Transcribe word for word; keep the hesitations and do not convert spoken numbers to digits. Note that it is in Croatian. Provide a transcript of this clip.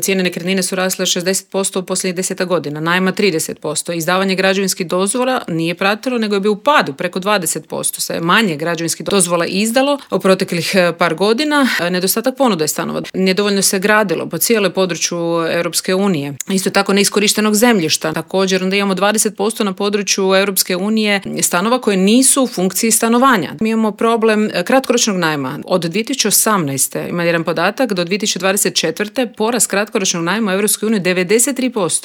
Cijene nekretnine su rasle šezdeset posto u posljednjih deset godina, najma trideset posto. Izdavanje građevinskih dozvola nije pratilo, nego je bio u padu preko dvadeset posto. Se je manje građevinskih dozvola izdalo u proteklih par godina. Nedostatak ponude stanova. Nedovoljno se gradilo po cijelom području Europske unije. Isto tako neiskorištenog zemljišta. Također onda imamo dvadeset posto na području Europske unije stanova koje nisu u funkciji stanovanja. Mi imamo problem kratkoročnog najma. Od dvije tisuće osamnaeste ima jedan podatak do dvije tisuće dvadeset četvrte porast kratkoročnog najma u Europskoj uniji devedeset tri posto.